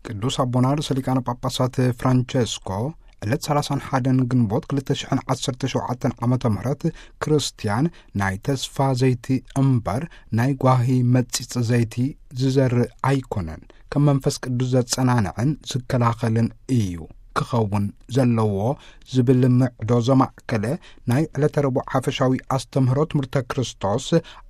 ቅዱስ ኣቦና ርእሰ ሊቃነ ጳጳሳት ፍራንቸስኮ ዕለት ሠላሳን ሓደን ግንቦት ክልተ ሽሕን ዓሰርተ ሸውዓተን ዓመተ ምህረት፣ ክርስትያን ናይ ተስፋ ዘይቲ እምበር ናይ ጓሂ መጺጽ ዘይቲ ዝዘርእ ኣይኮነን፣ ከም መንፈስ ቅዱስ ዘጸናንዕን ዝከላኸልን እዩ ክኸውን ዘለዎ ዝብል ምዕዶ ዘማእከለ ናይ ዕለተ ረቡዕ ሓፈሻዊ ኣስተምህሮ ትምህርተ ክርስቶስ፣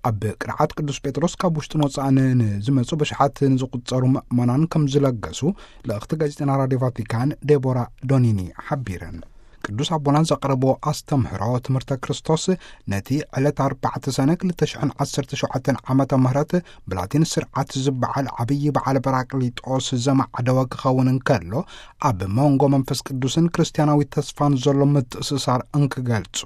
ኣብ ቅርዓት ቅዱስ ጴጥሮስ ካብ ውሽጥን ወጻእን ንዝመጹ ብሽሓት ንዝቁጸሩ ምእመናን ከም ዝለገሱ ልእኽቲ ጋዜጠና ራድዮ ቫቲካን ዴቦራ ዶኒኒ ሓቢረን። ቅዱስ ኣቦና ዘቕረብዎ ኣስተምህሮ ትምህርተ ክርስቶስ፣ ነቲ ዕለት ኣርባዕተ ሰነ ክልተ ሽሕን ዓሰርተ ሸውዓተን ዓመተ ምህረት ብላቲን ስርዓት ዝበዓል ዓብዪ በዓል ጳራቅሊጦስ ዘማዕደወ ክኸውን እንከሎ፣ ኣብ መንጎ መንፈስ ቅዱስን ክርስትያናዊ ተስፋን ዘሎ ምትእስሳር እንክገልጹ፣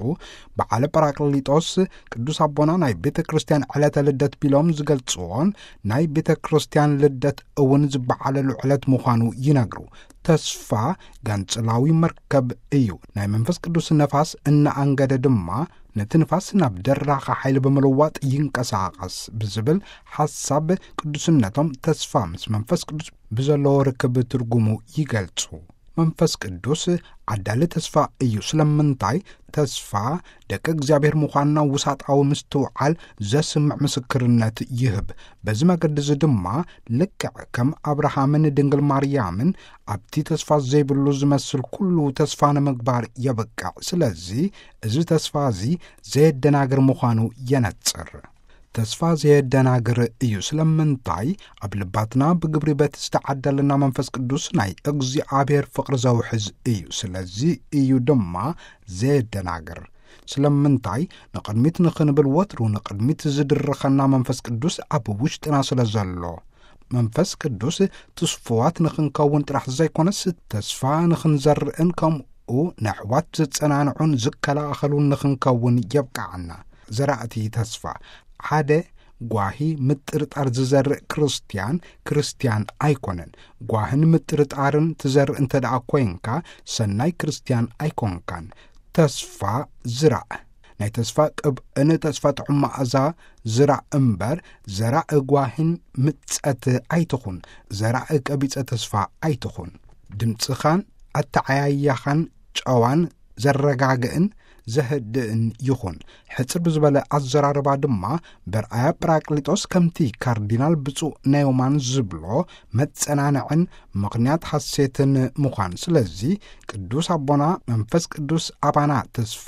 በዓል ጳራቅሊጦስ ቅዱስ ኣቦና ናይ ቤተ ክርስትያን ዕለተ ልደት ቢሎም ዝገልጽዎን፣ ናይ ቤተ ክርስትያን ልደት እውን ዝበዓለሉ ዕለት ምዃኑ ይነግሩ። ተስፋ ጋንጽላዊ መርከብ እዩ። ናይ መንፈስ ቅዱስ ነፋስ እናኣንገደ ድማ፣ ነቲ ንፋስ ናብ ደራኸ ሓይሊ ብምልዋጥ ይንቀሳቐስ ብዝብል ሓሳብ፣ ቅዱስነቶም ተስፋ ምስ መንፈስ ቅዱስ ብዘለዎ ርክብ ትርጉሙ ይገልጹ። መንፈስ ቅዱስ ዓዳሊ ተስፋ እዩ። ስለምንታይ? ተስፋ ደቂ እግዚኣብሔር ምዃንና ውሳጣዊ ምስትውዓል ዘስምዕ ምስክርነት ይህብ። በዚ መገዲ እዚ ድማ፣ ልክዕ ከም ኣብርሃምን ድንግል ማርያምን፣ ኣብቲ ተስፋ ዘይብሉ ዝመስል ኩሉ ተስፋ ንምግባር የብቅዕ። ስለዚ፣ እዚ ተስፋ እዚ ዘየደናግር ምዃኑ የነጽር። ተስፋ ዘየደናግር እዩ። ስለምንታይ? ኣብ ልባትና ብግብሪ በቲ ዝተዓደለና መንፈስ ቅዱስ ናይ እግዚኣብሔር ፍቕሪ ዘውሕዝ እዩ። ስለዚ እዩ ድማ ዘየደናግር። ስለምንታይ? ንቕድሚት ንኽንብል ወትሩ ንቕድሚት ዝድርኸና መንፈስ ቅዱስ ኣብ ውሽጥና ስለ ዘሎ። መንፈስ ቅዱስ ትስፉዋት ንኽንከውን ጥራሕ ዘይኮነስ፣ ተስፋ ንኽንዘርእን ከምኡ ነሕዋት ዘጸናንዑን ዝከላኸሉን ንኽንከውን የብቅዓና። ዘራእቲ ተስፋ። ሓደ፣ ጓሂ ምጥርጣር ዝዘርእ ክርስትያን፣ ክርስትያን ኣይኮነን። ጓህን ምጥርጣርን ትዘርእ እንተ ደኣ ኮይንካ፣ ሰናይ ክርስትያን ኣይኮንካን። ተስፋ ዝራእ። ናይ ተስፋ ቅብእን ተስፋ ጥዑም መኣዛ ዝራእ እምበር፣ ዘራእ ጓህን ምጸት ኣይትኹን። ዘራእ ቀቢጸ ተስፋ ኣይትኹን። ድምጽኻን ኣተዓያያኻን ጨዋን ዘረጋግእን ዘህድእን ይኹን። ሕጽር ብዝበለ ኣዘራርባ ድማ፣ በርኣያ ጳራቅሊጦስ ከምቲ ካርዲናል ብፁዕ ናዮማን ዝብሎ፣ መጸናንዕን ምኽንያት ሓሴትን ምዃን። ስለዚ፣ ቅዱስ ኣቦና መንፈስ ቅዱስ ኣባና ተስፋ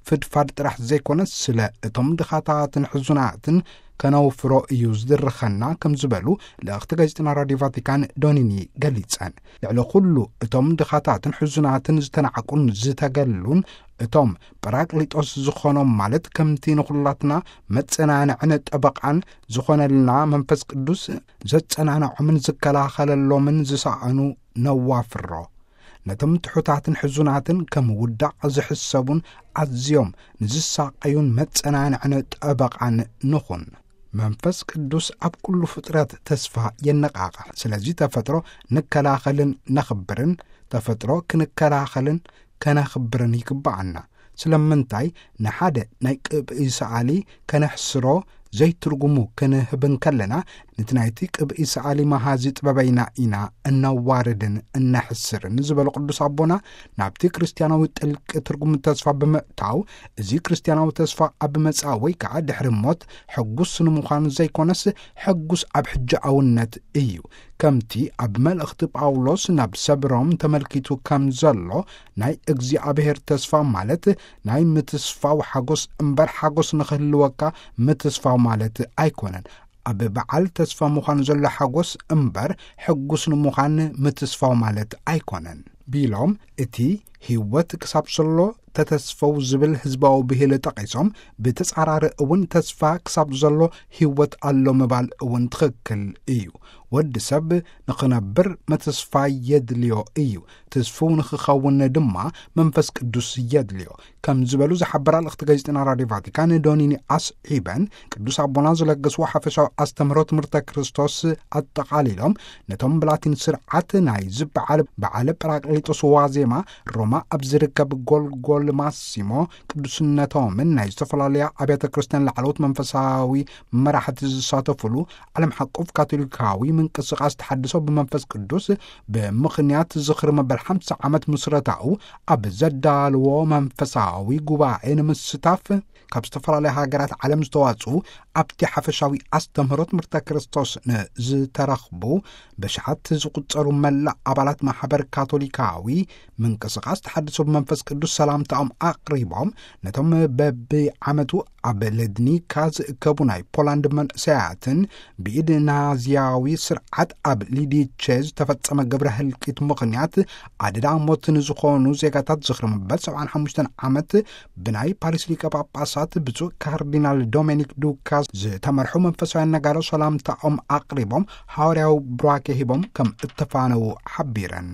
ፍድፋድ ጥራሕ ዘይኮነስ፣ ስለ እቶም ድኻታትን ሕዙናትን ከነውፍሮ እዩ ዝድርኸና ከም ዝበሉ ልእኽቲ ጋዜጠና ራድዮ ቫቲካን ዶኒኒ ገሊጸን። ልዕሊ ኩሉ እቶም ድኻታትን ሕዙናትን ዝተናዕቁን ዝተገሉን፣ እቶም ጳራቅሊጦስ ዝኾኖም፣ ማለት ከምቲ ንኹላትና መጸናንዕን ጠበቓን ዝኾነልና መንፈስ ቅዱስ ዘጸናንዖምን ዝከላኸለሎምን ዝሰኣኑ ነዋፍሮ። ነቶም ትሑታትን ሕዙናትን ከም ውዳቕ ዝሕሰቡን ኣዝዮም ንዝሳቐዩን መጸናንዕን ጠበቓን ንኹን። መንፈስ ቅዱስ ኣብ ኩሉ ፍጥረት ተስፋ የነቓቕሕ። ስለዚ ተፈጥሮ ንከላኸልን ነኽብርን፣ ተፈጥሮ ክንከላኸልን ከነኽብርን ይግብኣና። ስለምንታይ ንሓደ ናይ ቅብኢ ሰኣሊ ከነሕስሮ ዘይትርጉሙ ክንህብ እንከለና፣ ነቲ ናይቲ ቅብኢ ሰኣሊ መሃዚ ጥበበይና ኢና እነዋርድን እነሕስርን ዝበሉ ቅዱስ ኣቦና፣ ናብቲ ክርስትያናዊ ጥልቂ ትርጉም ተስፋ ብምእታው፣ እዚ ክርስትያናዊ ተስፋ ኣብ መጻኢ ወይ ከኣ ድሕሪ ሞት ሕጉስ ንምዃን ዘይኮነስ፣ ሕጉስ ኣብ ሕጃውነት እዩ። ከምቲ ኣብ መልእኽቲ ጳውሎስ ናብ ሰብ ሮም ተመልኪቱ ከም ዘሎ፣ ናይ እግዚኣብሔር ተስፋ ማለት ናይ ምትስፋው ሓጎስ እምበር፣ ሓጎስ ንኽህልወካ ምትስፋው ማለት ኣይኮነን። ኣብ በዓል ተስፋ ምዃን ዘሎ ሓጎስ እምበር፣ ሕጉስ ንምዃን ምትስፋው ማለት ኣይኮነን ቢሎም፣ እቲ ህይወት ክሳብ ዘሎ ተተስፈው ዝብል ህዝባዊ ብሂል ጠቒሶም፣ ብተጻራሪ እውን ተስፋ ክሳብ ዘሎ ህይወት ኣሎ ምባል እውን ትኽክል እዩ። ወዲ ሰብ ንኽነብር ምትስፋ የድልዮ እዩ። ትስፉው ንኽኸውን ድማ መንፈስ ቅዱስ የድልዮ ከም ዝበሉ ዝሓበራ ልእኽቲ ጋዜጠና ራድዮ ቫቲካን ዶኒኒ ኣስዒበን፣ ቅዱስ ኣቦና ዝለገስዎ ሓፈሻዊ ኣስተምህሮ ትምህርተ ክርስቶስ ኣጠቓሊሎም፣ ነቶም ብላቲን ስርዓት ናይ ዝበዓል በዓለ ጳራቅሊጦስ ዋዜማ ሮማ ኣብ ዝርከብ ጎልጎል ማሲሞ ቅዱስነቶምን ናይ ዝተፈላለያ ኣብያተ ክርስቲያን ላዕለዎት መንፈሳዊ መራሕቲ ዝሳተፉሉ ዓለም ሓቆፍ ካቶሊካዊ ምንቅስቃስ ተሓድሶ ብመንፈስ ቅዱስ ብምኽንያት ዝኽሪ መበል ሓምሳ ዓመት ምስረታኡ ኣብ ዘዳልዎ መንፈሳዊ ጉባኤ ንምስታፍ ካብ ዝተፈላለዩ ሃገራት ዓለም ዝተዋጽኡ፣ ኣብቲ ሓፈሻዊ ኣስተምህሮ ትምህርተ ክርስቶስ ንዝተረኽቡ ብሽሓት ዝቁጸሩ መላእ ኣባላት ማሕበር ካቶሊካዊ ምንቅስቃስ ተሓድሶ ብመንፈስ ቅዱስ ሰላምታኦም ኣቕሪቦም፣ ነቶም በብዓመቱ ኣብ ለድኒካ ዝእከቡ ናይ ፖላንድ መንእሰያትን ብኢድ ናዚያዊ ስርዓት ኣብ ሊዲቼ ዝተፈጸመ ግብረ ህልቂት ምኽንያት ኣደዳ ሞት ንዝኾኑ ዜጋታት ዝኽሪ መበል ሰብዓን ሓሙሽተን ዓመት ብናይ ፓሪስ ሊቀ ጳጳሳት ብፁዕ ካርዲናል ዶሚኒክ ዱካ ዝተመርሑ መንፈሳውያን ነጋዶ ሰላምታኦም ኣቕሪቦም፣ ሃዋርያዊ ቡራኬ ሂቦም ከም እተፋነዉ ሓቢረን።